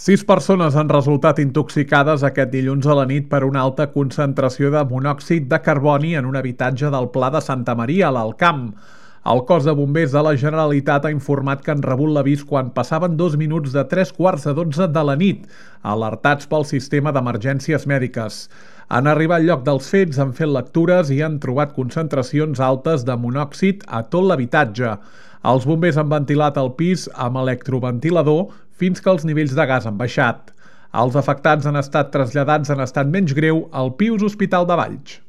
6 persones han resultat intoxicades aquest dilluns a la nit per una alta concentració de monòxid de carboni en un habitatge del Pla de Santa Maria, a l'Alt Camp. El cos de bombers de la Generalitat ha informat que han rebut l'avís quan passaven 2 minuts de 3:15 de la nit, alertats pel sistema d'emergències mèdiques. Han arribat al lloc dels fets, han fet lectures i han trobat concentracions altes de monòxid a tot l'habitatge. Els bombers han ventilat el pis amb electroventilador fins que els nivells de gas han baixat. Els afectats han estat traslladats en estat menys greu al Pius Hospital de Valls.